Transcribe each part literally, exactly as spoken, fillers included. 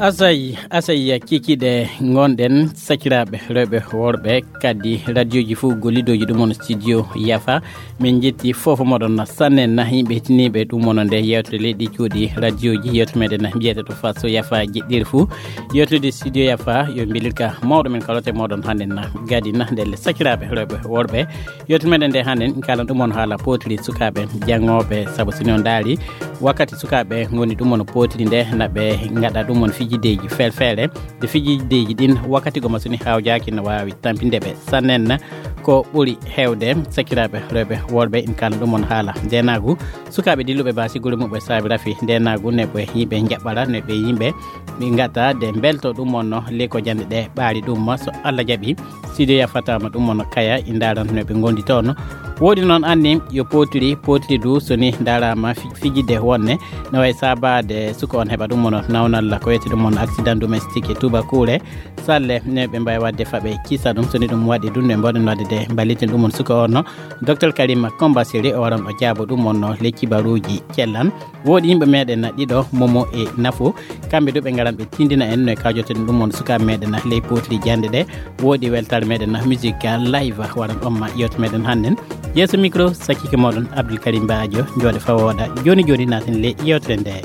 Asay, asay, kikiɗe ngonɗen, sakiraaɓe rewɓe, worɓe, kadi radioji fof gollidooji ɗum on studio Yafa. Min njetti fof moɗon sannen na, yimɓe hetiniiɓe ɗum on nde yewtere leydi cuuɗi radioji, yewtere meɗen na mbiyete to Faso Yafa jeɗɗiri fuu. Yewtere studio Yafa yo mbilirka mawɗo men kalote moɗon hannden na gadi na ndelle sakiraaɓe rewɓe, worɓe. Yewtere meɗen nde hannden kalan ɗum on haala potiri sukaaɓe janngooɓe, sabu so ni on ndaari wakkati sukaaɓe ngoni ɗum on potiri nde, na ɓe ngaɗa ɗum on fijideeji feere-feere. Nde fijideeji ɗin wakkati goma so ni hawjaaki no waawi tampinde ɓe sannen. Ko ɓuri heewde sakiraaɓe rewɓe, worɓe, en kalan ɗum on haala ndeenaagu. Sukaaɓe dilluɓe baasi gure muɓɓe saabi rafi ndeenaagu ne ɓe yimɓe njaɓɓara, ne ɓe yimɓe ɓe ngata de mbelto ɗum on no ley ko jannde ɗe ɓaari ɗum ma so Allah jaɓi. Studio Yafa taama ɗum on kaya i ndaaran no ɓe ngondi toon. Woodi noon anni yo potiri, potiri du so ni ndaaraama fi-, fijidde wonne na wayi saabaade suka on heɓa ɗum on nawnalla ko wiyete ɗum on accident domestique e tubakuure. Salle ne ɓe mbaawi waɗde faɓe kisa ɗum, so ni ɗum waɗi ɗum ne mboɗen waɗde de mballiten ɗum on suka on no. Docteur Karima Komba Siri o waran o jaabo ɗum on no ley kibaruuji cellan. Woodi yimɓe meɗen na ɗiɗo, Momo e Nafo. Kamɓe du ɓe ngaran ɓe tindina en no e kawjoten ɗum on sukaaɓe meɗen na ley potiri jannde ɗe. Woodi weltaare meɗen na musique live waran on ma yewte meɗen hannden. Yeeso micro sakkike moɗon Abdoul Karim Badio, jooɗe fawooɗa. Jooni jooni naaten ley yewtere nde.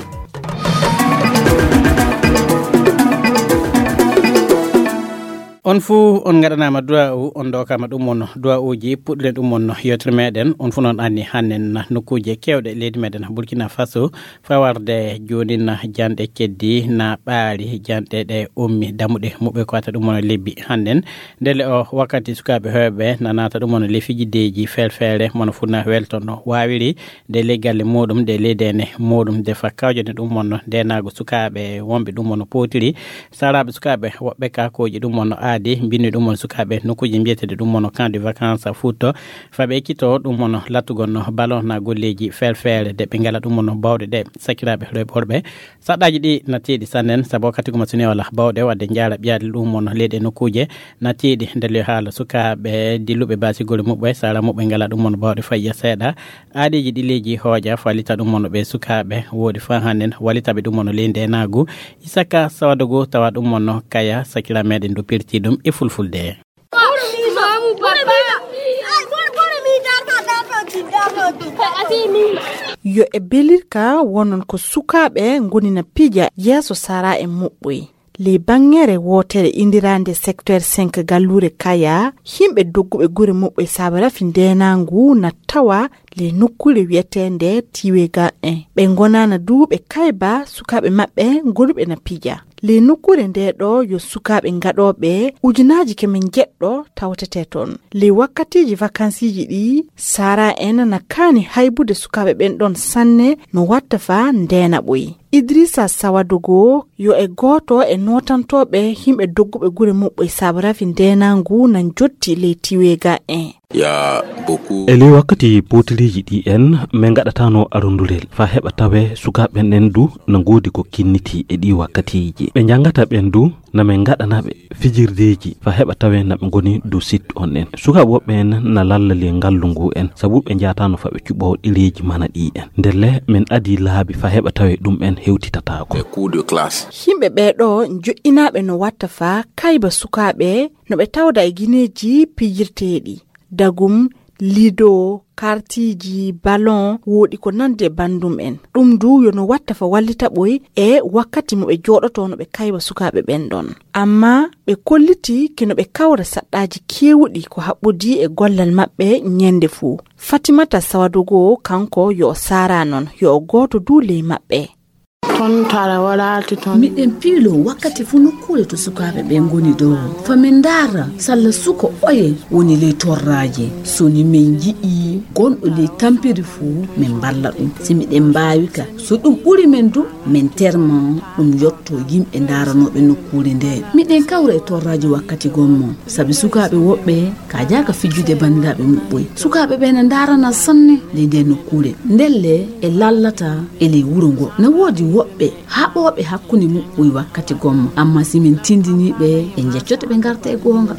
On fuu on ngaɗanaama duwaawu, on ndokaama ɗum on duwaawuji puɗɗuɗen ɗum on yewtere meɗen. On fuu noon anni hannden na nokkuuje keewɗe leydi meɗen Burkina Faso, fawarde jooni na janɗe keddi na ɓaari, janɗe ɗe ummi, dammuɗe muɓɓe ko wata ɗum on lebbi hannden. Ndelle o wakkati sukaaɓe heewɓe na naata ɗum on ley fijideeji feere-feere, mono fuu na welto no waawiri. Nde ley galle muɗum, nde ley deene muɗum, nde fa kawjani ɗum on ndeenaagu sukaaɓe wonɓe ɗum on potiri. Saraaɓe sukaaɓe woɓɓe ka kooƴi ɗum on aadi, mbinni ɗum on sukaaɓe nokkuuji mbiyeteeɗi ɗum on camp de vacances Fouta. Fa ɓe ekkito ɗum on lattugol no ballon na golleeji feere-feere, de ɓe ngala ɗum on bawɗe ɗe sakiraaɓe rewɓe, worɓe. Saɗɗaaji ɗi na teeɗi sannen, sabu wakkati guma so ni wala bawɗe waɗde njaara ɓiyaade ɗum on leyɗe nokkuuje na teeɗi. Ndelle haala sukaaɓe dilluɓe baasi gure muɓɓe, sara muɓɓe ngala ɗum on bawɗe fayya seeɗa. Aadiiji ɗi leydi hooƴa fallita ɗum on ɓe sukaaɓe, woodi fa hannden wallitaɓe ɗum on ley ndeenaagu. Isaka Sawadogo tawa ɗum on kaya sakira meɗen du pirti ɗum e fulfulde. Yo e belirka wonon ko sukaaɓe ngoni na pija yeeso sara e muɓɓoy. Ley banngere wootere indiraande secteur cinq galluure Kaya, yimɓe dogguɓe gure muɓɓe saabe rafi ndeenaangu na tawa ley nokkuure wiyeteende Tiwega un. Ɓe ngonaana du ɓe kayba sukaaɓe maɓɓe gonuɓe na pija. Ley nokkuure ndee ɗoo yo sukaaɓe gaɗooɓe ujunaaji keme njeɗɗo tawtete toon. Ley wakkatiiji vakansiiji ɗii, sara en na kaani haybude sukaaɓe ɓen ɗon sanne no watta fa ndeena ɓoy. Idrissa Sawadogo yo e gooto e nootantooɓe yimɓe dogguɓe gure muɓɓe saabu rafi ndeenaangu na njotti ley Tiwega un. E ley wakkati pootiriiji ɗi en, min ngaɗataano arondurel fa heɓa tawe sukaaɓe ɓen du na ngoodi ko kinniti e ɗi wakkatiiji. Ɓe njanngata ɓen du na min ngaɗana ɓe fijirdeeji fa heɓa tawe na ɓe ngoni dow sit on en. Sukaaɓe woɓɓe en na lalla ley ngallu ngu en, sabu ɓe njahataano fa ɓe cuɓoo ɗereeji mana ɗi en. Ndelle min adii laabi fa heɓa tawe ɗum en hewtitataako. Yimɓe ɓee ɗoo njoƴƴinaaɓe no watta fa kayba sukaaɓe no ɓe tawda e gineeji pijirteeɗi. Dagum, lido, kartiiji, ballon, woodi ko nandi e banndum en. Ɗum du yo no watta fa wallita ɓoy e wakkati mo ɓe jooɗotoo no ɓe kayba sukaaɓe ɓen ɗon. Amma ɓe kolliti ke no ɓe kawra saɗɗaaji keewuɗi ko haɓɓodii e gollal maɓɓe ñande fuu. Fatimata Sawadogo kanko yo o sara non, yo o gooto du ley maɓɓe. Miɗen piiloo wakkati fuu nokkuure to sukaaɓe ɓe ngoni ɗoo. Fa min ndaara salla suka oye woni ley torraaji. So ni min nji'ii gonɗo ley tampiri fuu, min mballa ɗum. Si miɗen mbaawi ka, so ɗum ɓuri min du, min terma ɗum yotto yimɓe ndaaranooɓe nokkuure ndee. Miɗen kawra e torraaji wakkati gommo, sabi sukaaɓe woɓɓe ka jaaka fijjude banndiraaɓe muɓɓoy. Sukaaɓe ɓe na ndaarana sanne ley ndee nokkuure. Ndelle e lallata e ley wuro ngo. Na woodi woɓɓe haɓooɓe hakkunde muɓɓoy wakkati gommo, amma si min tindinii ɓe, ɓe njeccoto ɓe ngarta e goonga.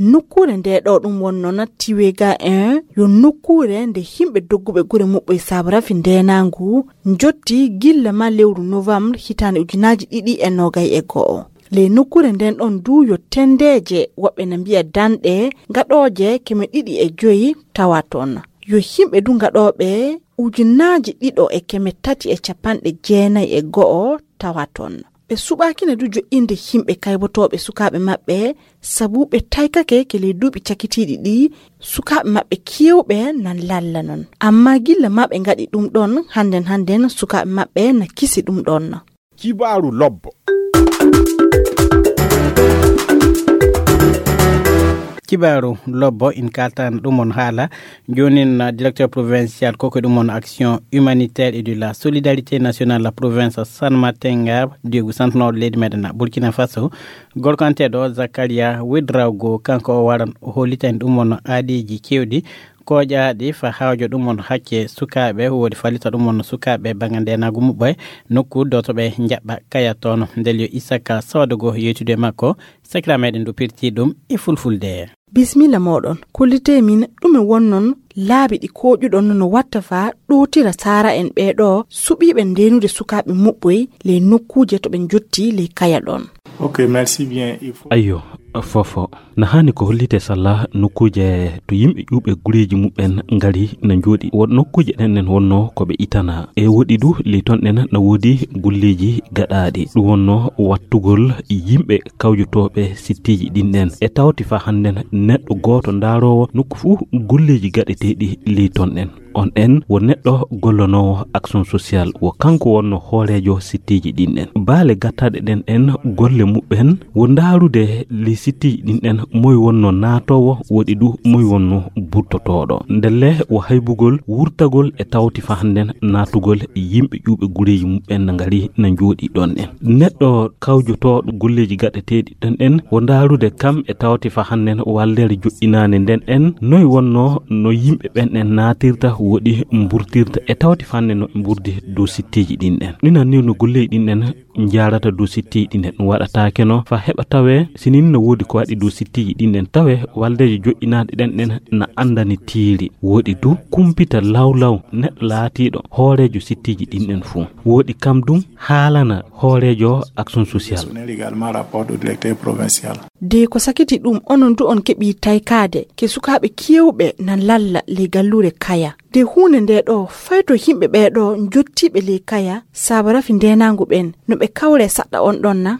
Nokkuure nde ɗo ɗum wonno na Tiwega un yo nokkuure nde yimɓe dogguɓe gure muɓɓoye saabu rafi ndenaangu njotti gilla ma lewru novembre hitaande ujunaaji ɗiɗi e noogay e go'o. Ley nokkuure nden ɗon du yo tendeeje woɓɓe na mbiya danɗe gaɗooje keme ɗiɗi e joyi tawa toon. Yo yimɓe du gaɗooɓe ujunaaji ɗiɗo e keme tati e capanɗe jeenayi e go'o tawa toon. Ɓe suɓaakina du joɗɗinde yimɓe kaybotooɓe sukaaɓe maɓɓe sabu ɓe taykake ke ley duuɓi cakitiiɗi ɗi sukaaɓe maɓɓe keewɓe nan lalla non. Amma gilla ma ɓe ngaɗi ɗum ɗon hannden hannden sukaaɓe maɓɓe na kisi ɗum ɗon. Kibaaru lobbo. Kibaaru lobbo in kaltan ɗum on haala. Jonin, uh, directeur provincial koko ɗum on action humanitaire et de la solidarité nationale la province San Matenga, digu santono leydi meɗen Burkina Faso. Gorko anteɗo Zakaria Widrago, kanko o waran o hollitan ɗum on aadiji kewɗi koƴaaɗi fa hawjo ɗum on hakke sukaaɓe, woodi fallita ɗum on sukaaɓe banga ndenagu muɓɓe nokku dotoɓe njaɓɓa kaya toon. Ndel yo Isaka Sodogo yeytude makko, sakira meɗen ɗo pirti ɗum e fulfulde. Bismilla moɗon. Kollite min ɗume wonnon laabi ɗi koƴuɗon no watta fa ɗowtira saara en ɓeeɗo suɓiiɓe ndenude sukaaɓe muɓɓoy ley nokkuuje to ɓe njotti ley kaya ɗon? Ok, merci bien. Il faut Ayyo, fofo. Na haani ko hollite salla nokkuuje to yimɓe ƴuuɓe gureeji muɓɓen ngari na njooɗi. Wo nokkuuje ɗen ɗen wonno ko ɓe itana. E woɗi du ley ton ɗen na woodi golleeji gaɗaaɗi. Ɗum wonno wattugol yimɓe kawjotooɓe sittiiji ɗin ɗen. E tawti fa hannden neɗɗo gooto ndaaroowo nokku fuu golleeji gaɗeteeɗi ley ton ɗen. On ɗen wo neɗɗo gollonoowo action social, wo kanko wonno hooreejo sittiiji ɗin ɗen. Baale gattaɗe ɗen ɗen golle muɓɓen wo ndaarude ley sittiiji ɗin ɗen moy wonno naatoowo, woɗi du moy wonno burtotooɗo. Ndelle wo haybugol wurtagol e tawti fa hannden naatugol yimɓe ƴuuɓe gureeji muɓɓen na ngari na njooɗi ɗon ɗen. Neɗɗo kawjotooɗo golleeji gaɗeteeɗi ɗen ɗen wo ndaarude kam e tawti fa hannden waldere joɗɗinaande nden ɗen noy wonno no yimɓe ɓen ɗen naatirta woɗi mburtirta e tawti fa hannden no ɓe mburdi dow sittiiji ɗin ɗen. Ɗinan ni no golleeji ɗin ɗen njaarata dow sittiiji ɗin ɗen ɗum waɗataake no fa heɓa tawee sinin no woodi ko waɗi dow sittiiji ɗin ɗen tawee waldeejo joɗɗinaade ɗen ɗen na anndani tiiri. Woɗi du kumpita lawlaw neɗɗo laatiiɗo hooreejo sittiiji ɗin ɗen fuu. Woɗi kam dum haalana hooreejo action social. Sonner également rapport au directeur provincial. De ko sakiti ɗum onon du on keɓi taykaade ke sukaaɓe kewɓe na lalla ley galluure kaya. De huunde nde ɗo fayto yimɓe ɓee ɗo njottiiɓe ley kaya saaba rafi ndeenaangu ɓen no ɓe kawre saɗɗa on ɗon na?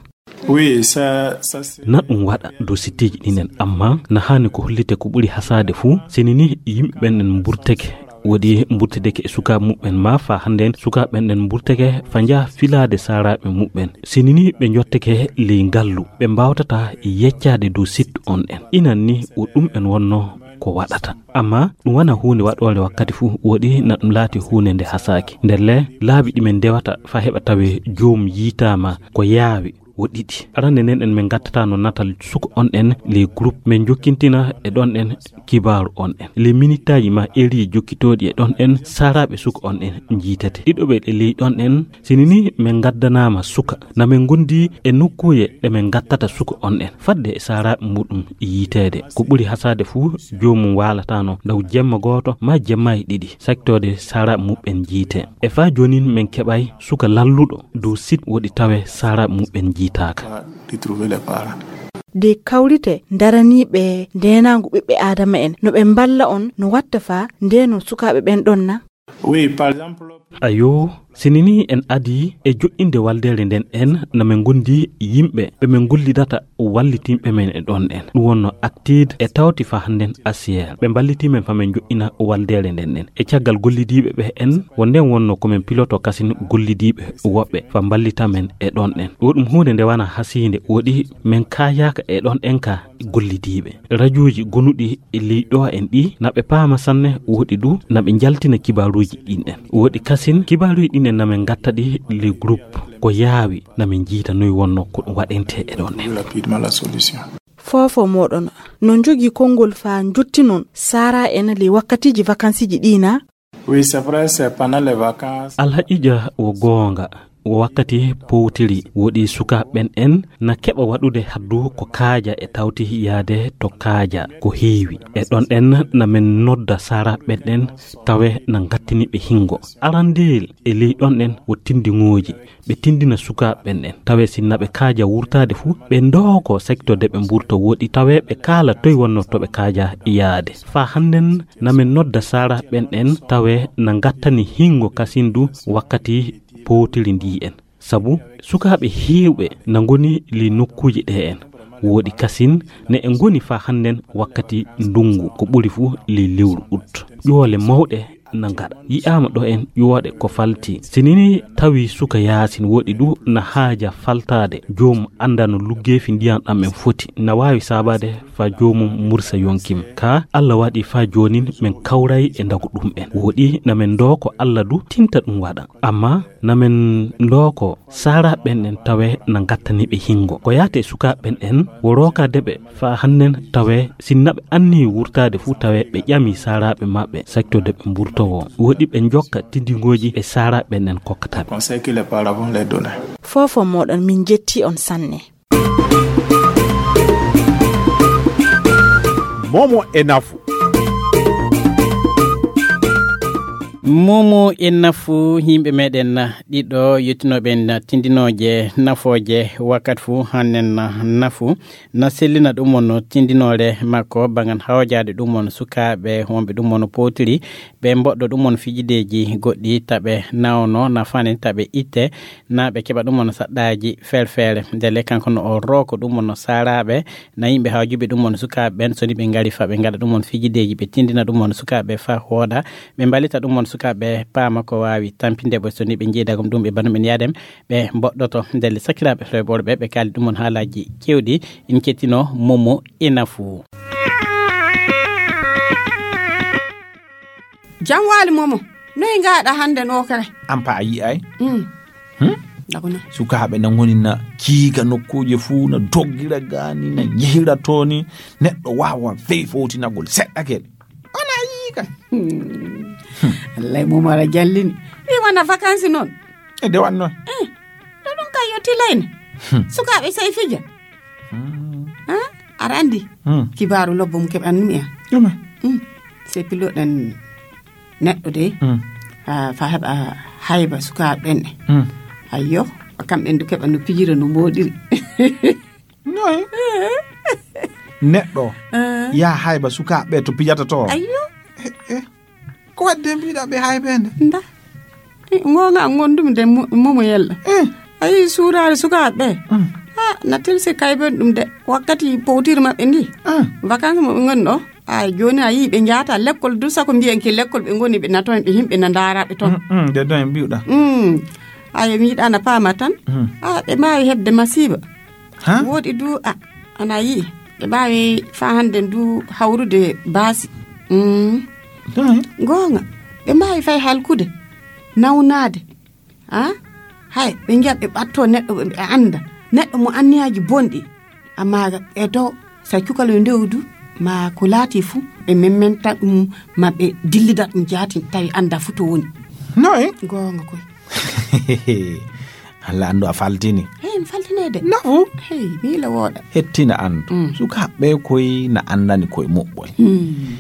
Oui, ça, ça c'est Na ɗum waɗa dow sittiiji ɗin en, amma na haani ko hollite ko ɓuri hasaade fuu, sini ni yimɓe ɓen en mburteke, woɗi mburtedeke e sukaaɓe muɓɓen, ma faa hannden sukaaɓe ɓen en mburteke faa njaha filaade saaraaɓe muɓɓen. Sini ni ɓe njotteke ley ngallu, ɓe mbaawtataa yeccaade dow sitte on ɗen. Inan ni wo ɗum en wonnoo ko waɗata. Amma ɗum wonaa huunde waɗoore wakkati fuu, woɗi na ɗum laati huunde nde hasaaki. Ndelle laabi ɗi men ndewata faa heɓa tawee joomum yiytaama ko yaawi wo ɗiɗi. Arande nden en men ngattata no natal suka on ɗen ley groupe, men jokkintina e ɗon ɗen kibaaru on ɗen. Ley minittaaji ma eriiji jokkitooɗi e ɗon ɗen saaraaɓe suka on ɗen njiitete. Ɗiɗoɓe e ley ɗon ɗen, sini ni men ngaddanaama suka, na men ngondi e nokkuuje ɗe men ngattata suka on ɗen, fadde e saaraaɓe muɗum yiiteede. Ko ɓuri hasaade fuu, joomum waalataano ndaw jemma gooto ma jemmaaji ɗiɗi, saktoode saaraaɓe muɓɓen njiite. E faa joonin men keɓay suka lalluɗo dow sit woɗi tawee saaraaɓe muɓɓen njiitaaka. Retrouver les parents. De kawrite ndaraniiɓe ndeenaangu ɓiɓɓe Aadama en, no ɓe mballa on, no watta faa ndeenon sukaaɓe ɓen ɗon na? Oui, par exemple. Ayo, sini ni en adii e joɗɗinde waldeere nden en, na men ngondi yimɓe ɓe men gollidata wallitinɓe men e ɗon en. Ɗum wonno Actide e tawti faa hannden Asiyeer. Ɓe mballitii men faa men joɗɗina waldeere nden en. E caggal gollidiiɓe ɓe en, wo nden wonno ko men piloto kasin gollidiiɓe woɓɓe faa mballita men e ɗon en. Wo ɗum huunde nde wanaa hasiinde, woɗi men kaayaaka e ɗon en ka gollidiiɓe. Rajooji gonuɗi e ley ɗo en ɗi, na ɓe paama sanne, woɗi du na ɓe njaltina kibaaruuji ɗin en. Woɗi kasin kibaaruuji ɗin en na men ngatta ɗi ley groupe. Ko yaawi na men njiita noy wonno ko ɗum waɗente e ɗon en. Rapidement la solution. Foofo moɗon no njogii konngol faa njottinon saara en ley wakkatiiji vakansiiji ɗi na? Oui, c'est vrai, c'est pendant les vacances. Alhaqiiqa wo goonga. Wakkati powtiri woɗi sukaaɓe ɓen en na keɓa waɗude haddu ko kaaja e tawti yaade to kaaja ko heewi. E ɗon en na men nodda saraaɓe ɓen en tawe na ngattini ɓe hingo. Arandeel e ley ɗon en wo tindiŋooji. Ɓe tindina sukaaɓe ɓen en tawe sinna ɓe kaaja wurtaade fuu, ɓe ndooko sektorde ɓe mburto woɗi tawe ɓe kaala toy wonno to ɓe kaaja yaade. Faa hannden na men nodda saraaɓe ɓen en tawe na ngattani hingo kasindu wakkati powtiri ndi en. Sabu sukaaɓe heewɓe na ngoni ley nokkuuji ɗe en. Woɗi kasin ne e ngoni faa hannden wakkati ndungu ko ɓuri fuu ley lewru ut. Ƴoole mawɗe na ngaɗa. Yi'aama ɗo en ƴooɗe ko falti. Si nini tawi suka yaasin woɗi du na haaja faltaade. Joom annda no luggeefi ndiyan ɗam en foti. Na waawi saabaade faa joomum mursa yonkim. Ka Alla waɗi faa joonin men kawray e ndagu ɗum en. Woɗi na men ndoo ko Alla du tinta ɗum waɗa. Amma na men ndoo ko saraaɓe ɓen en tawe na ngattani ɓe hingo. Ko yaate sukaaɓe ɓen en wo rookaade ɓe faa hannden tawe sinna ɓe anni wurtaade fuu tawe ɓe ƴami saraaɓe maɓɓe saktorde ɓe mburtowo. Woɗi ɓe njokka tindingooji ɓe saraaɓe ɓen en kokkata ɓe. Conseil que les parents vont les donner. Fofo moɗon min jetti on sanne. Momo e nafu. Momo e nafu, yimɓe meɗen ɗiɗo yettinooɓe en tindinooje nafooje wakkati fuu hannen nafu. Na sellina ɗum on tindinoore makko, bangan hawjaade ɗum on sukaaɓe wonɓe ɗum on powtiri, ɓe mboɗɗo ɗum on fijideeji goɗɗi, taɓe nawno nafani, taɓe itte, na ɓe keɓa ɗum on saɗɗaaji feere feere. Ndelle kanko no o rooko ɗum on saraaɓe, na yimɓe hawjuɓe ɗum on sukaaɓe ɓen, so ni ɓe ngari faa ɓe ngaɗa ɗum on fijideeji, ɓe tindina ɗum on sukaaɓe faa wooɗa, ɓe mballita ɗum on sukaaɓe paama ko waawi tampinde ɓe, so ni ɓe njiida gom ɗum ɓe banum en yaadem, ɓe mboɗɗoto. Ndelle sakiraaɓe rewɓe ɓe, ɓe kaali ɗum on haalaaji keewɗi, en kettinoo Momo e nafu. Jam waali Momo, noy ngaaɗa hannde no kay? An pa a yi'ay? Mm. Hmm? Dako na. Sukaaɓe na ngoni na kiiga nokkuuje fuu, na doggira gaani, na njehira tooni. Neɗɗo waawa fey fowtinagol seɗɗa kadi. On a yi'i kay? Hmm. Wallay Momo aɗa jallini. Ɗi wona vacances noon. E de wanno. Eh, ɗo ɗum kay yo tilayne. Hmm. Sukaaɓe sey fija. Hmm. Ah, aɗa anndi? Hmm. Kibaaru lobbo mo keɓanmi en. Ɗume? Hmm. Sey piloɗen neɗɗo de. Hmm. Ah, faa heɓa hayba sukaaɓe ɓen. Hmm. Ayyo, kamɓe ɓen du keɓa no pijira no mooɗiri. Noy? Neɗɗo. Eh. Yaa hayba sukaaɓe to pijata to. Ayyo. Eh, eh. Ko waɗde mbiɗa ɓe hay ɓe nde? Nda. Eh, ngoonga an ngondumi de mo-, Momo Yella. Eh. A yii suuraare sukaaɓe ɓe? Mm. Ha, na tilsi kayben ɗum de. Wakkati powtiri maɓɓe ndi. Ah. Vacances mo ɓe ngoni ɗo. Ay, jooni a yii ɓe njaata lekkol du sako mbiyen ki lekkol ɓe ngoni ɓe na toon ɓe yimɓe na ndaara ɓe toon. Mm, mm, de ɗon en mbiwɗa. Mm. Ay, mi yiɗa na paama tan. Mm. Ah, ɓe mbaawi heɓde masiiba. Ha? Woɗi du, a, ana yi'i. Ɓe mbaawi faa hannde ndu hawrude baasi. Mm. Ɗon en? Goonga. Ɓe mbaawi fay halkude, nawnaade. Ah? Hay, ɓe njiya ɓe ɓattoo neɗɗo, ɓe, ɓe annda. Neɗɗo mo anniyaaji bonɗi. Amma ɓe to, so a cukaloy ndew du, ma ko laati fu, ɓe memmenta ɗum, ma ɓe dillida ɗum jaati, tawi annda fu to woni. Noy? Goonga koy. Alla anndu a faltini. Hey, mi faltinay de. Nafu? Hey, miila wooɗa. Hettina anndu. Mm. Sukaaɓe koy na anndani koye muɓɓoy. Mm.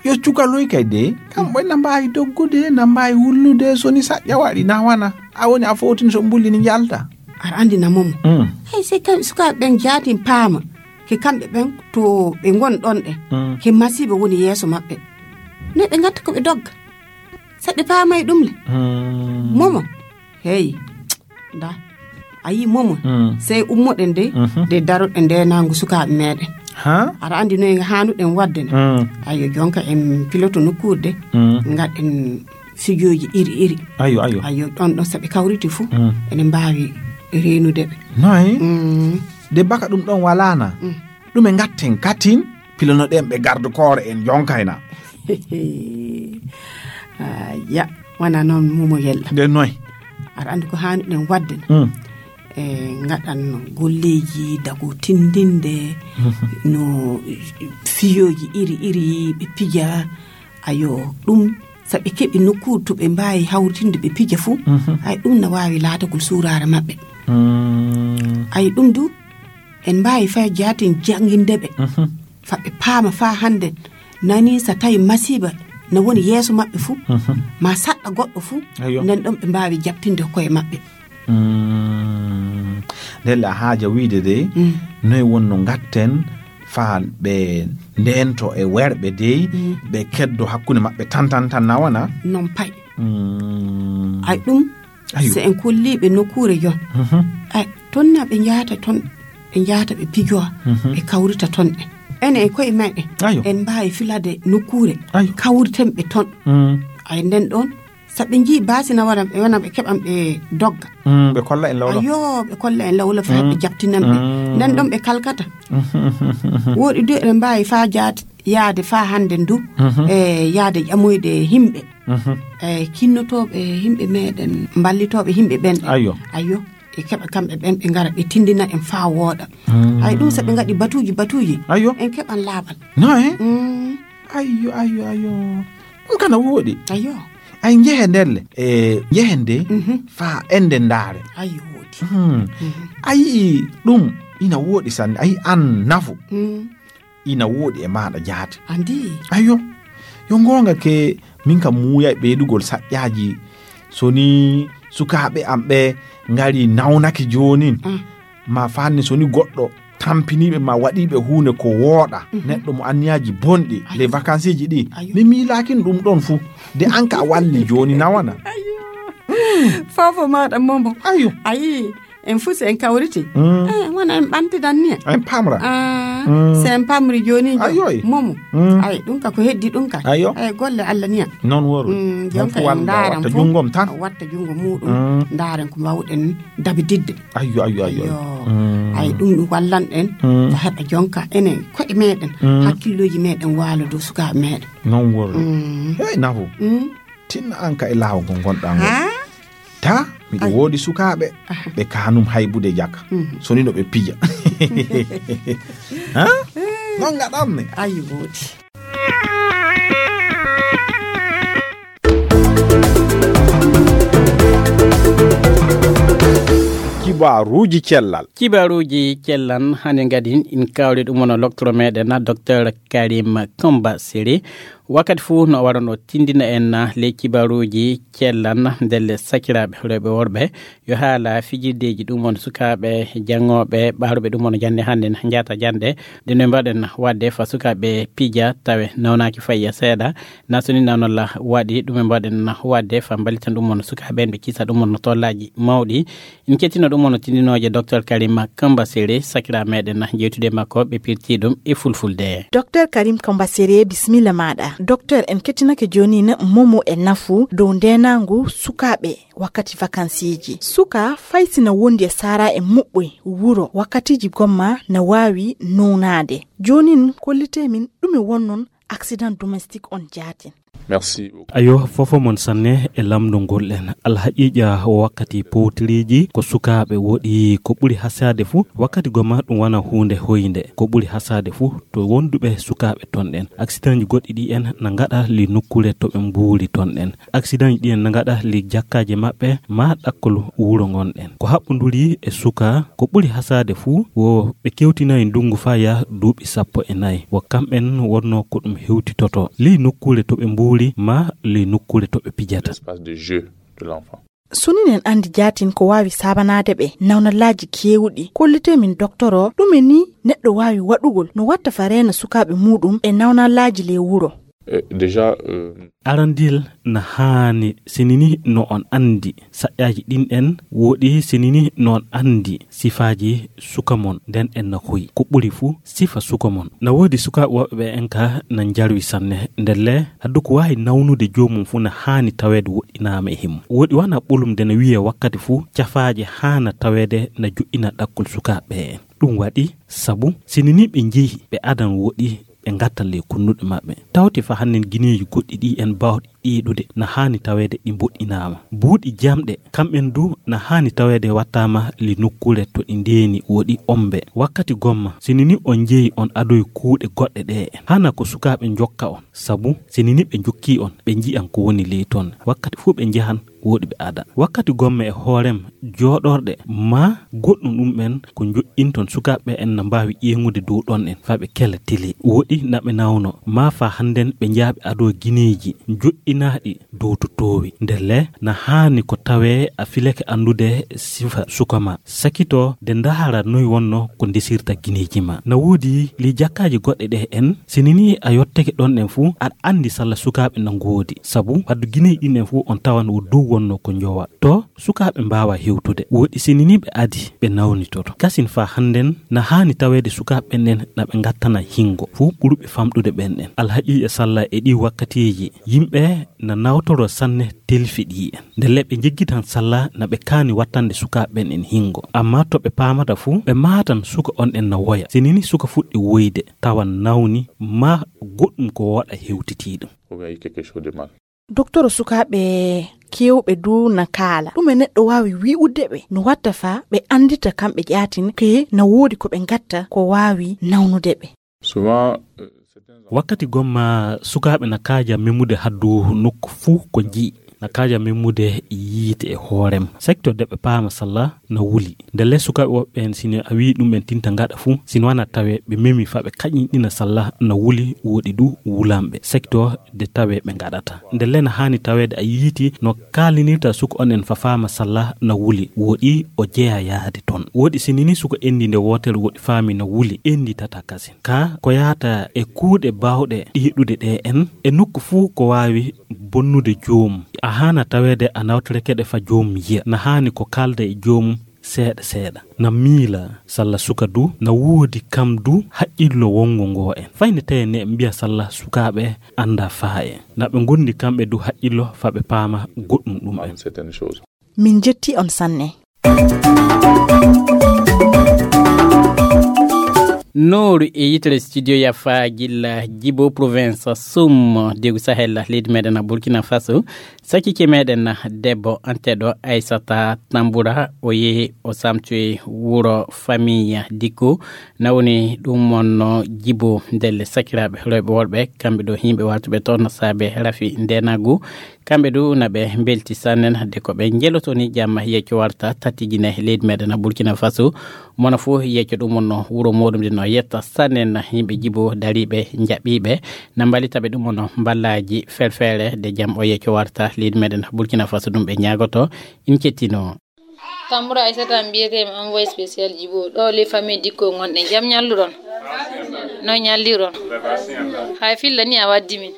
Yo cukaloy kay de, kamɓe na mbaawi doggude, na mbaawi wullude, so ni saƴƴa waɗi, na wana. A woni a fowtini so mbulli ni njalta. Aɗa anndi na Momo. Mm. Hey, sey kam sukaaɓe ɓen jaatin paama. Ke kamɓe ɓen to ɓe ngon ɗon ɗen. Mm. Ke masiiba woni yeeso maɓɓe. Ne ɓe ngatta ko ɓe dogga. Saɗi paamay ɗum le. Mm. Momo. Hey. Nda. A yii Momo. Mm. Sey ummoɗen de, mhm, de daroɗen de nangu sukaaɓe meɗen. Ha? Aɗa anndi no en haanuɗen waɗde ne? Mm. Ayo, jonka en piloto nokkuure de. Mm. Ngaɗen fijooji iri iri. Ayo, ayo. Ayo, ɗon ɗon so ɓe kawriti fu, mm, ene mbaawi reenude ɓe. Noy? Mm. De baka ɗum ɗon walaana. Mm. Ɗume ngatten katin, pilonoɗen ɓe garde corps en jonkayna. Ah, ya, wana noon Momo Yella. De noy? Aɗa anndi ko haanuɗen waɗde ne? Mm. E ngaɗan golleeji dago tindinde, no fiyooji iri iri ɓe pija. Ayo, ɗum so ɓe keɓi nokkuure to ɓe mbaawi hawritinde ɓe pija fuu, ay ɗum na waawi laatagol suuraare maɓɓe. Ay ɗum du, en mbaawi fay jaatin jannginde ɓe, fa ɓe paama faa hannde nani so tawi masiiba na woni yeeso maɓɓe fuu, ma saɗɗa goɗɗo fuu, nden ɗon ɓe mbaawi jaɓtinde koye maɓɓe. Ndelle a haaja wiide dey, noy wonno ngatten faa ɓe ndeento e werɓe dey, ɓe keddo hakkunde maɓɓe tan tan tan na wana? Non pay. Ay ɗum, so en kolliiɓe nokkuure jon, ay tonna ɓe njahata ton, ɓe njahata ɓe pijowa, ɓe kawrita ton ɓe. Enen e koye meɗen en mbaawi filade nokkuure, kawriten ɓe ton. Ay nden ɗon, so ɓe njii baasi na wara ɓe wona ɓe keɓan ɓe dogga. Ɓe kolla en lawla. Ayo, ɓe kolla en lawla faa ɓe jaɓtinan ɓe. Nden ɗon ɓe kalkata. Woɗi du eɗen mbaawi faa jaade, yaade faa hannde ndu, e yaade ƴamoyde himɓe, e kinnotooɓe himɓe meɗen, mballitooɓe himɓe ɓen. Ayo. Ayo, e keɓa kamɓe ɓen ɓe ngara ɓe tindina en faa wooɗa. Ay ɗum so ɓe ngaɗi batuuji batuuji, ayo, en keɓan laaɓal. No e? Ayo, ayo, ayo. Ɗum kana wooɗi. Ayo. Ay njehe ndelle, e njehen de faa ende ndaare. Ayo wooɗi. A yii ɗum ina wooɗi sanne, a yii an nafu. Ina wooɗi e maaɗa jaati. Andi. Ayo, yo ngoonga ke, min kam muuyay ɓeydugol saƴƴaaji. So ni sukaaɓe am ɓe ngari nawnake joonin, ma faanni so ni goɗɗo tampiniiɓe ma waɗiiɓe huunde ko wooɗa, neɗɗo mo anniyaaji bonɗi, les vacances ji ɗi, mi miilaakin ɗum ɗon fuu. De an ka a walli jooni na wana? Fofo maaɗa momo. Ayo. A yii, en fuu so en kawriti, eh, wona en ɓantidan niya. En pamra. Ah, so en pamri jooni jo, ayo, momo. Ay ɗum ka ko heddi ɗum ka. Ayo. Ay golle Allah niya. Non woro. Jon ka en ndaaran fuu, watta junngom tan, watta junngo muuɗum, ndaaren ko mbaawɗen dabididde. Ayo, ayo, ayo. Ay ɗum ɗum wallan en, ko heɓa jon ka enen koye meɗen, hakkillooji meɗen waalo dow sukaaɓe meɗen. Non woro. Hey, nafu. Tinna an ka e laawol ngol ngonɗaa ngol. Ta, miɗo woodi sukaaɓe ɓe kaanum haybude jaka. So ni no ɓe pija. Ha? Non ngaɗanmi. Ayi woodi. Kibaaruuji cellal. Kibaaruuji cellal, hannde ngadi in kawri ɗum wona loktoro meɗen, docteur Karim Komba Siri. Wakkati fuu no warono tindina en ley kibaaruuji cellal, ndelle sakiraaɓe rewɓe worɓe, yo haala fijirdeeji ɗum won sukaaɓe janngooɓe, ɓaaruɓe ɗum won jannde hannde, njaata jannde, ɗum no mbaɗen waɗde fa sukaaɓe pija tawe nawnaaki fayya seeɗa, na so ni nawnola waɗi, ɗum e mbaɗen waɗde fa mbalitan ɗum won sukaaɓe en ɓe kisa ɗum won tollaaji mawɗi. In kettino ɗum won tindinooje docteur Karima Kamba Sere, sakira meɗen jewtude makko ɓe pirti ɗum e fulfulde. Docteur Karim Kamba Sere, bismilla maɗa. Docteur, en kettinake joni na momo e nafu dow ndenangu sukaɓe wakkati vakansiiji. Suka fay sina wondi e sara e muɓɓoy wuro wakkatiji gomma na wawi nownade. Jonin kollite min ɗume wonnon accident domestique on jaatin. Merci beaucoup. Ayo, fofo mon sanne e lamndungol en. Alhaqiqa wakkati powtiriji ko sukaaɓe woɗi ko ɓuri hasade fuu. Wakkati goma ɗum wona huunde hoynde. Ko ɓuri hasade fuu to wonduɓe sukaaɓe ton ɗen. Accidentji goɗɗi ɗi en na ngaɗa li nokkuure to ɓe mbuuri ton ɗen. Accidentji ɗi en na ngaɗa li jakkaaje maɓɓe ma ɗakkol wuro ngon ɗen. Ko haɓɓunduri e suka ko ɓuri hasade fuu wo ɓe kewtinayi ndungu faa yaha duuɓi sappo e nayi. Wo kamɓen wonno ko ɗum hewtitoto ley nokkuure to ɓe mbuuri ma ley nokkuure to ɓe pijata. L'espace de jeu de l'enfant. So ni en andi jaatin ko waawi saabanaade ɓe nawnalaaji keewɗi, kollite min doktoro ɗume ni neɗɗo waawi waɗugol no watta fa reena sukaaɓe muuɗum e nawnalaaji ley wuro. Eh, déjà, euh, Arandil na haani sinini no on andi saƴƴaaji ɗin en woɗi sinini no on andi sifaaji suka mon nden en na hoyi. Ko ɓuri fuu sifa suka mon. Na woodi sukaaɓe woɓɓe ɓe en ka na njarwi sanne. Ndelle addu ko waawi nawnude joomum fuu na haani taweede woɗɗinaama e himmo. Woɗi wana ɓolum nde na wiye wakkati fuu cafaaje haana taweede na joɗɗina ɗakkol sukaaɓe en. Ɗum waɗi sabu sinini ɓe njehi ɓe adan woɗi ɓe ngattan ley kunnuɗe maɓɓe. Tawti fa hannen gineeji goɗɗi ɗi en bawɗi ɗiiɗude, na haani taweede ɗi mboɗɗinaama. Buuɗi jamɗe, kamɓen du na haani taweede wattaama li nokkuure to ɗi ndeeni woɗi ombe. Wakkati gomma, sini ni on njeyi on adoy kuuɗe goɗɗe ɗe en, hana ko sukaaɓe njokka on, sabu sini ni ɓe njokkii on, ɓe nji'an ko woni ley ton. Wakkati fuu ɓe njahan, woɗi ɓe ada. Wakkati gomma e hoorem, jooɗorɗe, maa goɗɗum ɗum en ko njoƴƴinton sukaaɓe en na mbaawi ƴeeŋude dow ɗon en, faa ɓe kela tele. Woɗi na ɓe nawno, maa faa hannden ɓe njaaɓe adoo gineeji, njoƴƴinaaɗi dow to toowi. Ndelle, na haani ko tawee a filake anndude sifa suka ma. Sakito de ndaara noy wonno ko ndesirta gineeji ma. Na woodi li jakkaaji goɗɗe ɗe en, sini ni a yottake ɗon en fuu, aɗa anndi salla sukaaɓe na ngoodi. Sabu, waddu gineeji ɗin en fuu on tawan wo dow wonno ko njowa. To sukaaɓe mbaawa hewtude. Woɗi sini ni ɓe adi, ɓe nawnitoto. Kasin faa hannden na haani taweede sukaaɓe ɓen en na ɓe ngattana hingo. Fuu ɓuruɓe famɗude ɓen en. Alhaqiiqa salla e ɗii wakkatiiji, yimɓe na nawtoro sanne telfi ɗi en. Ndelle ɓe njeggitan salla na ɓe kaani wattande sukaaɓe ɓen en hingo. Amma to ɓe paamata fuu, ɓe maatan suka on en na woya. Sini ni suka fuɗɗi woyde, tawan nawni, maa goɗɗum ko woɗa hewtitii ɗum. Ou bien il y a quelque chose de mal. Doktoro, sukaaɓe keewɓe du na kaala. Ɗume neɗɗo waawi wi'ude ɓe no watta faa ɓe anndita kamɓe ƴaatin ke na woodi ko ɓe ngatta ko waawi nawnude ɓe? Souvent, euh, certains enfants Wakkati gomma sukaaɓe na kaaja memude haddu nokku fuu ko nji'i. Na kaaja memude yiite e hoorem. Sekto de ɓe paama salla na wuli. Ndelle sukaaɓe woɓɓe en, sino a wi'i ɗum en tinta ngaɗa fuu, sino wana tawe ɓe memi faa ɓe kañinɗina salla na wuli, woɗi du wulanɓe. Sekto de tawe ɓe ngaɗata. Ndelle na haani taweede a yiiti no kaalinirta suka on en faa faama salla na wuli, woɗi o jeya yaade ton. Woɗi sini ni suka enndi nde wootere woɗi faami na wuli, enndi tata kasin. Ka ko yaata e kuuɗe baawɗe ɗiiɗude ɗe en, e nokku fuu ko waawi bonnude joomum. A haana taweede a nawtorekeɗe fa joomum yiya. Na haani ko kaalda e joomum seeɗa seeɗa. Na miila salla suka du, na woodi kam du haqqillo wongo ngo en. Fayne tawi ne mbiya salla sukaaɓe annda faa en. Na ɓe ngondi kamɓe du haqqillo fa ɓe paama goɗɗum ɗum en. Certaines choses. Min jetti on sanne. Nooru e yitere studio yafa gilla Jibo province Sum degu Sahel leydi meɗen Burkina Faso. Sakike meɗen debbo anteɗo Aissata Tambura o yehi o samtoyi wuro famille Dikko. Na woni ɗum wonno Jibo ndelle sakiraaɓe rewɓe worɓe kamɓe ɗo yimɓe wartuɓe toon saabe rafi ndenagu. Kamɓe du na ɓe mbelti sanne de ko ɓe njeloto ni jamma yecco warta tati Gine leydi meɗen Burkina Faso. Mono fof yecco ɗum wonno wuro muɗum de no yetta sanne na yimɓe Jibo dariɓe jaɓɓiɓe na mbalita ɓe ɗum wonno mballaji felfele de jam o yecco warta leydi meɗen Burkina Faso ɗum ɓe ñaagoto. In kettino. Tambura Aissata mbiyetee mi envoyé spécial Jibo ɗo les famille Dikko ngonɗen jam ñalluɗon. No ñalliron? Hay filla ni a waddi min.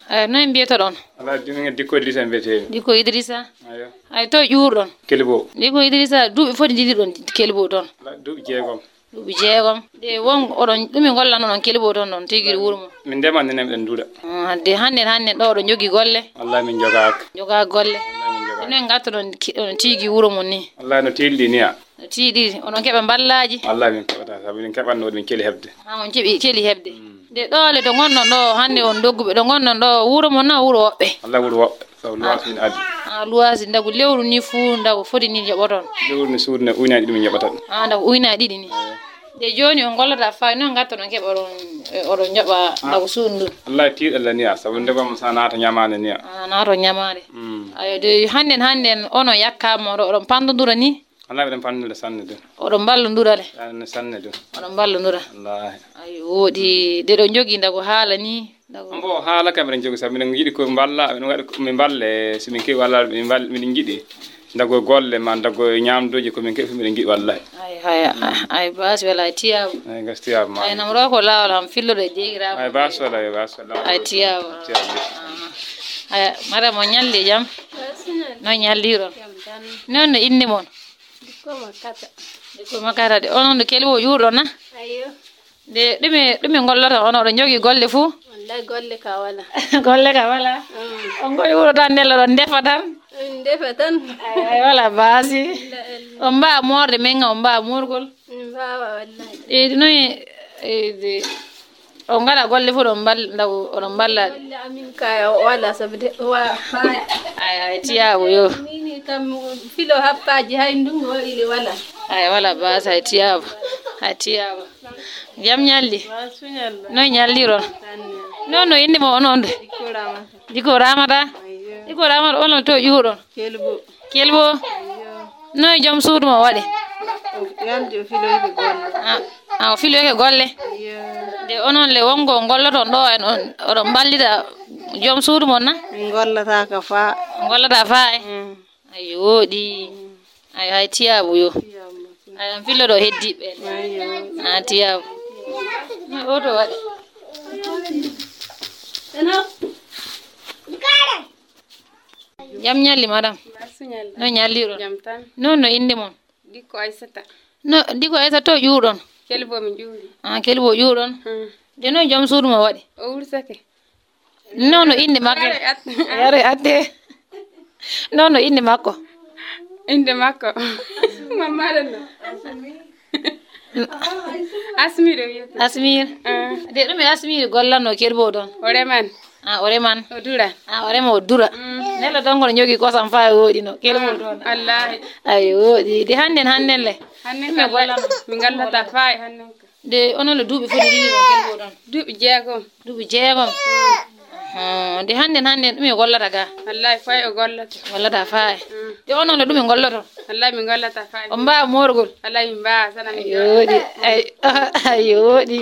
Ay, noy mbiyetoɗon? Ala, Dikko Idrissa mbiyetee mi. Dikko Idrissa? Ayo. Ay, to ƴuurɗon? Kelbo. Dikko Idrissa, duuɓi foti ndiɗiɗon Kelbo toon? Ala, duuɓi jeegom. Duuɓi jeegom. De won oɗon, ɗum e ngollan oɗon Kelbo toon ɗon, tigi wuro mo? Min ndema nene miɗen nduuɗa. Ah, de hannden, hannden ɗo oɗon njogii golle? Wallahi min njogaaka. Njogaa golle? Wallahi min njogaaka. Ɗum en ngattoɗon ki-, ɗon tigi wuro mon ni? Wallahi no tiiɗi ni a. No tiiɗi, oɗon keɓa mballaaji? Wallahi min keɓata, sabu min keɓatno min keli heɓde. Ah, on keɓi keli heɓde. Mm. De ɗoole to ngonɗon ɗo, hannde on dogguɓe, ɗo ngonɗon ɗo, wuro mon na wuro woɓɓe? Wallahi wuro woɓɓe, sabu luwaas min adi. Ah, luwaas ndagu lewru ni fuu, ndagu foti ni njoɓoton? Lewru ni suudu ne uyna ɗiɗi min njoɓata ɗum. Ah, ndagu uyna ɗiɗi ni. Eyo. De jooni on ngollata fay noon ngattoɗon keɓa oɗon, oɗon njoɓa ndagu suudu ndun? Wallahi tiiɗalla ni a, sabu ndegom sa naata ñamaande ni a. Ah, naato ñamaande. Mm. Ayo, de hannden, hannden onon yakkaama oɗo, oɗon panndondura ni? Wallahi miɗen panndondura sanne de. Oɗon mballondura le? Sanne, sanne de. Oɗon mballondura? Wallahi. Ayo, woodi de ɗo njogii ndagu haala ni. Mbo haala kam miɗen jogi sabu miɗen njiɗi ko mballa, miɗen waɗi ko min mballe, so min keɓi walla min mbal-, miɗen njiɗi ndago golle ma, ndago ñaamduuji ko min keɓi fof miɗen njiɗi wallahi. Ay, haya, ay, baasi wala, ay tiyaabu. Ay, gas tiyaabu ma. Ay, nam ro ko laawol ham filloɗo e jeegiraaɓe. Ay, baasi wala, ay, baasi wala. Ay, tiyaabu. Tiyaabu. Ay, madame, on ñalli jam? Baasi ñalli. No ñalliron? Jam tan. Noon no innde mon? Dikko Makata. Dikko Makata de. Onon no Kelbo ƴuurɗo na? Ayyo. De, ɗume, ɗume ngollata on? Oɗon njogii golle fuu? Wallahi, golle ka wala. Golle ka wala? Mm. On ngoyi wuro tan, ndella ɗon ndefa tan? Min ndefa tan. Ay, ay, wala baasi. Illa, illa. On mbaawa moorde men, on mbaawa moorgol? Min mbaawa, wallahi. E, noy, e, de, On ngaɗa golle fof ɗon mbal-, ndaw, oɗon mballa. Golle amin kay o wala sabu de, wa-, faaya. Ay, ay, tiyaabu yo. Nini kam filo happaaji hay ndungu o ili wala. Ay, wala baasa, ay, tiyaabu. Ay, tiyaabu. Jam ñalli? Wa suñal. Noy ñalliron? Tan. Non, no inde mo onon de? Dikko Ramata. Dikko Ramata? Ayyo. Dikko Ramata, onon to ƴuuɗon? Kelbo. Kelbo? Ayyo. Noy joom suudu mo waɗi? O yalti o filoyde golle. Ah, ah, o filoyde golle? Ayyo. De onon le wongo golloton ɗo en on, oɗon mballita joom suudu mon na? Min gollata ka faa. Gollata faa e? Mm. Ayo, woɗi. Ayo, hay tiyaabu yo. Tiyaabu. Ayo, on fillo ɗo heddiiɓe. Ayo. Ah, tiyaabu. Oto waɗi. Jam ñalli, madam. Basu ñalli. No ñalliron? Jam tan. Non no inde mon? Dikko Aysata. No, Dikko Aysata to ƴuuɗon? Kelbo mi ƴuuri. Ah, Kelbo ƴuuɗon? Hmm. De noon joom suudu mo waɗi? O wursake. Non no inde makko? Yare at-, yare atte. Non no inde makko? Inde makko. Mamma ɗen no. Asmir o wiyata. Asmir. Ah. De ɗum e Asmir gollanno Kelbo ɗon? O reman. Ah, o reman. O dura. Ah, o rema o dura. Mm. Nelo ɗon kono ñogi kosam faa e woɗi no. Kelbo ɗon. Wallahi. Ay, woɗi. De hannden, hannden le? Hannden ɗum e gollanno. Min ngallata faa e hannden ka. De onon le duuɓi foti ɗiɗi ɗon Kelbo ɗon? Duuɓi jeegom. Duuɓi jeegom. Ah, de hannden, hannden ɗum e gollata ga? Wallahi faa e o gollata. Gollata faa e. Mm. De onon le ɗum e golloto? Wallahi min gollata faa e. O mbaa moorgol? Wallahi min mbaa sana min. Ay, woɗi. Ay, ay, woɗi.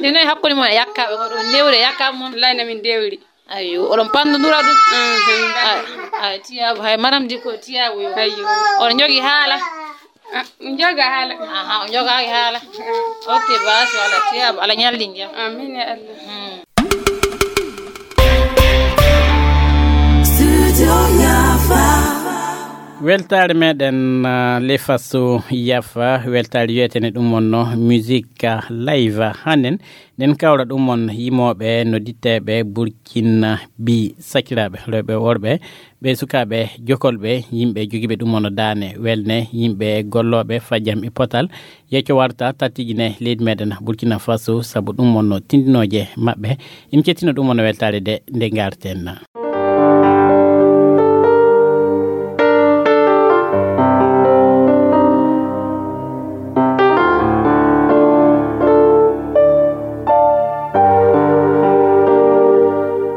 De noy hakkunde mon e yakkaaɓe ko ɗum newre yakka mon? Wallahi na min dewri. Ayo, oɗon panndondira ɗum? Mm, min panndondira. Ah, ah, tiyaabu, hay maram di ko tiyaabu yo. Ayo. Oɗon njogi haala? Ah, min njoga haala. Aha, on njogaaki haala. Ok, baasi wala tiyaabu, ala ñalli jam. Amin ya Allah. Hmm. Weltaare meɗen, ah, le faso yafa, weltaare wiyetene ɗum wonno musique live. Hannen nden kawra ɗum on yimooɓe, noddiiteeɓe Burkina bi, sakiraaɓe rewɓe worɓe, ɓe sukaaɓe jokolɓe, yimɓe jogiiɓe ɗum on daane welne, yimɓe gollooɓe fajam e potal, yecco warta tattijine leydi meɗen Burkina Faso, sabu ɗum on tindinooje maɓɓe. En kettino ɗum on weltaare de nde ngarten.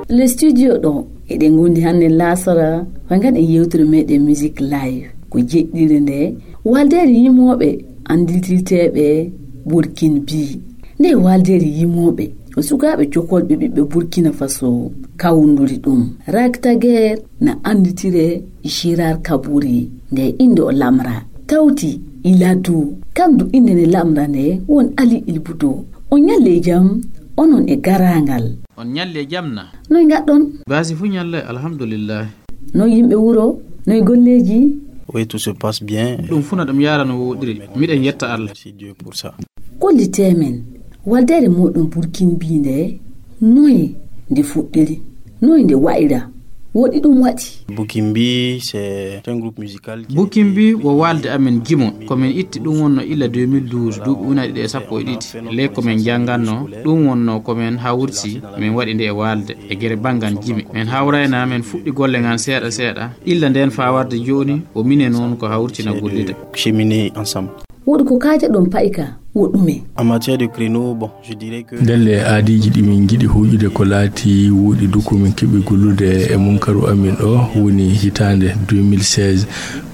Le studio ɗo eɗen ngondi hannde laasara, fay ngaɗen yewtere meɗen Music Live. Ko jeɗɗire nde waldeere yimooɓe annditirteeɓe Burkin bi. Nde waldeere yimooɓe ko sukaaɓe jokolɓe ɓiɓɓe Burkina Faso kawnduri ɗum. Raktager na annditire Gérard Kaburi, nde innde o lamra. Tawti Iladu, kam du innde nde lamra nde won Ali Ilbudo. On ñalle jam, onon e garaangal. On ñalle jam na? Noy ngaɗɗon? Baasi fu ñalle, alhamdulillah. Noy yimɓe wuro? Noy golleeji? Oui, tout se passe bien. Ɗum fu na ɗum yaara no woɗiri. Miɗen yetta Allah. Merci Dieu pour ça. Kollitee men, waldeere mooɗon Burkin bi nde, noye nde fuɗɗiri? Noye nde wa'ira? Woɗi ɗum waɗi? Bukimbi, c'est un groupe musical qui a été Bukimbi wo waalde amen jimo. Ko min itti ɗum wonno illa deux mille douze, duuɓi ujunaaji ɗiɗi e sappo e ɗiɗi. Ley ko min njannganno, ɗum wonno ko min hawriti, min waɗi nde e waalde, e gere banngal jimi. Min hawrayna, min fuɗɗi golle ngan seeɗa seeɗa. Illa ndeen faa warde jooni, o minen noon ko hawriti na gollida. Cheminer ensemble. Woɗi ko kaajaɗon payka, wo ɗume? En matière de créneau, bon, je dirais que Ndelle aadiiji ɗi min njiɗi huuƴude ko laati woɗi du ko min keɓi gollude e munkaru amin o woni hitaande deux mille seize.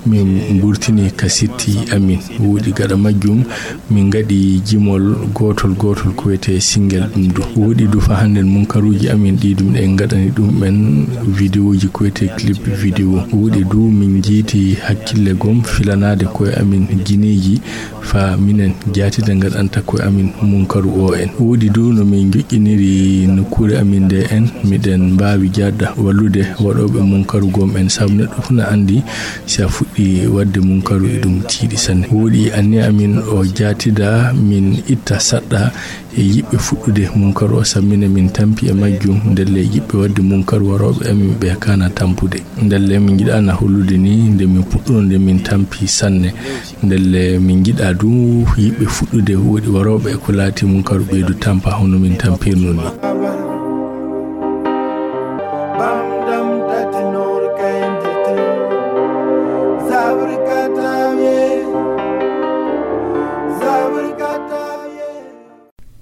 Min mburtini ka sitti amin. Woɗi gaɗa majjum, min ngaɗi jimol gootol gootol ko wiyetee single ɗum du. Woɗi du fa hannden munkaruuji amin ɗi du miɗen ngaɗani ɗum en vidéoji ko wiyetee clip vidéo. Woɗi du min njiiti hakkille gom filanaade koye amin gineeji fa minen jaatida ngaɗanta koye amin munkaru o en. Woɗi du no min joƴƴiniri nokkuure amin nde en, miɗen mbaawi jaatda wallude waɗooɓe munkaru gom en, sabu neɗɗo fu na anndi si a fuɗɗi waɗde munkaru e ɗum tiiɗi sanne. Woɗi anniya amin o jaatida min itta saɗɗa E yiɓɓe fuɗɗude munkaru o sammina min tampi e majjum, ndelle yiɓɓe waɗde munkaru warooɓe amin ɓe kana tampude. Ndelle min njiɗana hollude ni nde min puɗɗuno nde min tampi sanne. Ndelle min njiɗa du yiɓɓe fuɗɗude woɗi warooɓe e ko laati munkaru ɓeydu tampa hono min tampirno ni.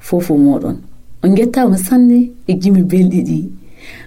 Fofo moɗon. On ngettaama sanne e jimi belɗi ɗi.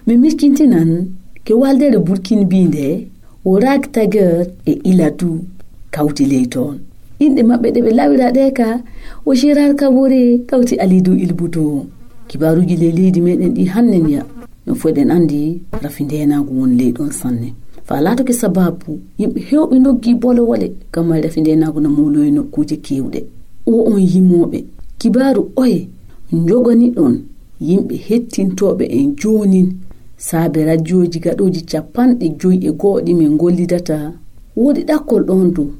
Mi miskintinan ke waldere Burkin binde o Rag Tager e Iladu kawti ley toon. Inɗe maɓɓe ɗe ɓe lawira ɗe ka o Gérard Kabore kawti Alidu Ilbuto. Kibaaruji ley leydi meɗen ɗi hannen ya. No foɗen andi rafi ndenagu won ley ɗon sanne. Fa latoke sababu yimɓe hewɓe noggi bolowole kamma rafi ndenagu na mawloyi nokkuuje kewɗe. O on yimooɓe kibaaru oye njogani ɗon yimɓe hettintooɓe en joonin saabe rajooji gaɗooji capanɗe joyi e goo ɗi min ngollidata. Woodi ɗakkol ɗon du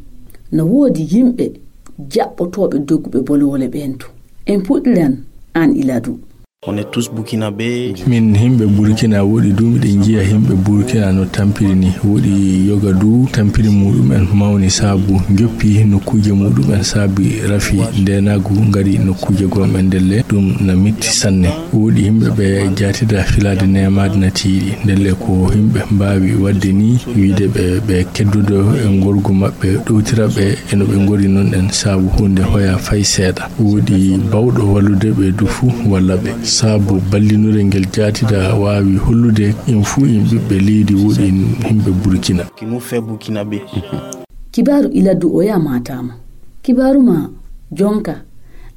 na woodi yimɓe jaɓɓotooɓe dogguɓe bolowole ɓen du. En puɗɗiran an Iladu. On est tous burkinabés. Min himɓe Burkina woɗi du miɗen njiya himɓe Burkina no tampiri ni. Woɗi yoga du tampiri muɗum'en mawni saabu joppi nokkuuje muɗum'en saabi rafi ndenagu ngari nokkuuje gom'en ndelle ɗum na metti sanne. Woɗi himɓe ɓe jatida filade nemaade na tiiɗi ndelle ko himɓe mbawi wadde ni wiide ɓe ɓe keddudo e ngorgu maɓɓe ɗowtira ɓe e no ɓe ngori non ɗen saabu hunde hoya fay seeɗa. Woodi bawɗo wallude ɓe du fuu walla ɓe. Saabu ballinure ngel jaatida waawi hollude in fuu in ɓiɓɓe leydi woodi in himɓe Burkina. Qui nous fait burkinabé. Kibaaru Iladu o yamaataama. Kibaaru ma jonka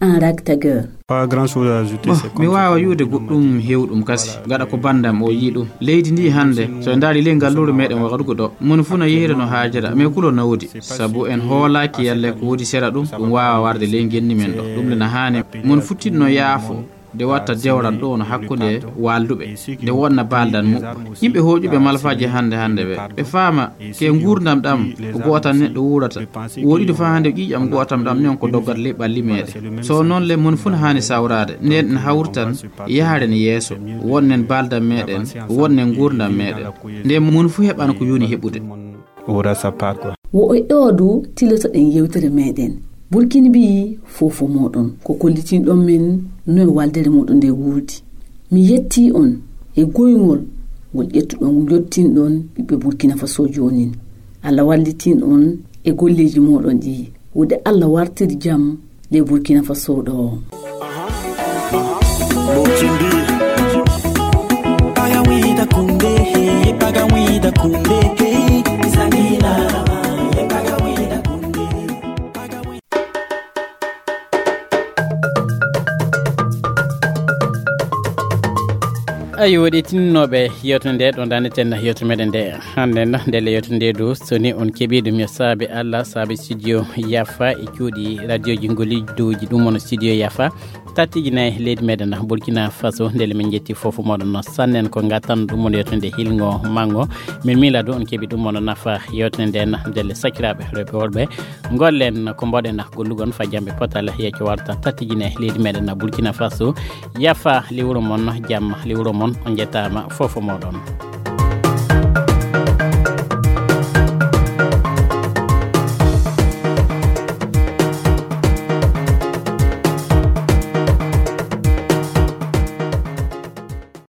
an Rag Tager. Pas grand chose à ajouter. Bon, mi waawa yuude goɗɗum hewɗum kasi gaɗa ko bandam o yii ɗum. Leydi ndi hannde so en ndaari ley ngalluure meɗen wagadugo ɗo moni fuu na yehira no haajira mais kulol na woodi sabu en hoolaaki yalle ko woodi sera ɗum ɗum waawa warde ley ngenni men ɗo. Ɗum le na haani mon futtiɗno yaafo nde watta dewral ɗo no hakkunde waalduɓe nde wonna baaldan muɓɓo. Yimɓe hooƴuɓe malfaaji hannde hannde ɓe ɓe faama ke nguurndam ɗam ko gootan neɗɗo wuurata. Woɗiɗo faa hannde ƴiiƴam gootam ɗam non ko doggat ley ɓalli meɗen. So noon le mon fuu na haani sawraade nden en hawritan yaharen yeeso. Wonnen baaldan meɗen wonnen nguurndam meɗen nde mon fuu heɓan ko yoni heɓude. Aura sa part quoi. Wo e ɗo du tilotoɗen yewtere meɗen. Burkini mbiyi fofo moɗon ko kollitinɗon men no e waldere muɗum nde wuurdi. Mi yetti on e goyngol ngol ƴettuɗon jottinɗon ɓiɓɓe Burkina Faso joonin. Allah wallitin on e golleeji moɗon ɗi. Wude Allah wartiri jam nde Burkina Faso ɗo. Ayi woɗi tinnoɓe yewtude nde ɗon daneten yewtu meɗen nde hande na ndelle yewtude nde du soni on keɓi ɗum yo saabi Allah saabi studio yafa e cuuɗi radioji ngoliduji ɗum on studio yafa tattiji nayi leydi meɗen Burkina Faso ndele min jetti fofo moɗon no sannen ko gattan ɗum on yewtude hilgo mango min miila du on keɓi ɗum on nafa yewtude nde na ndelle sakiraɓe rewɓe worɓe gollen ko mboɗen gollugon fa jamɓe potal yecco warta tattijine leydi meɗen Burkina Faso yafa liwro mon jamma liwro mon on jettama fofo moɗon.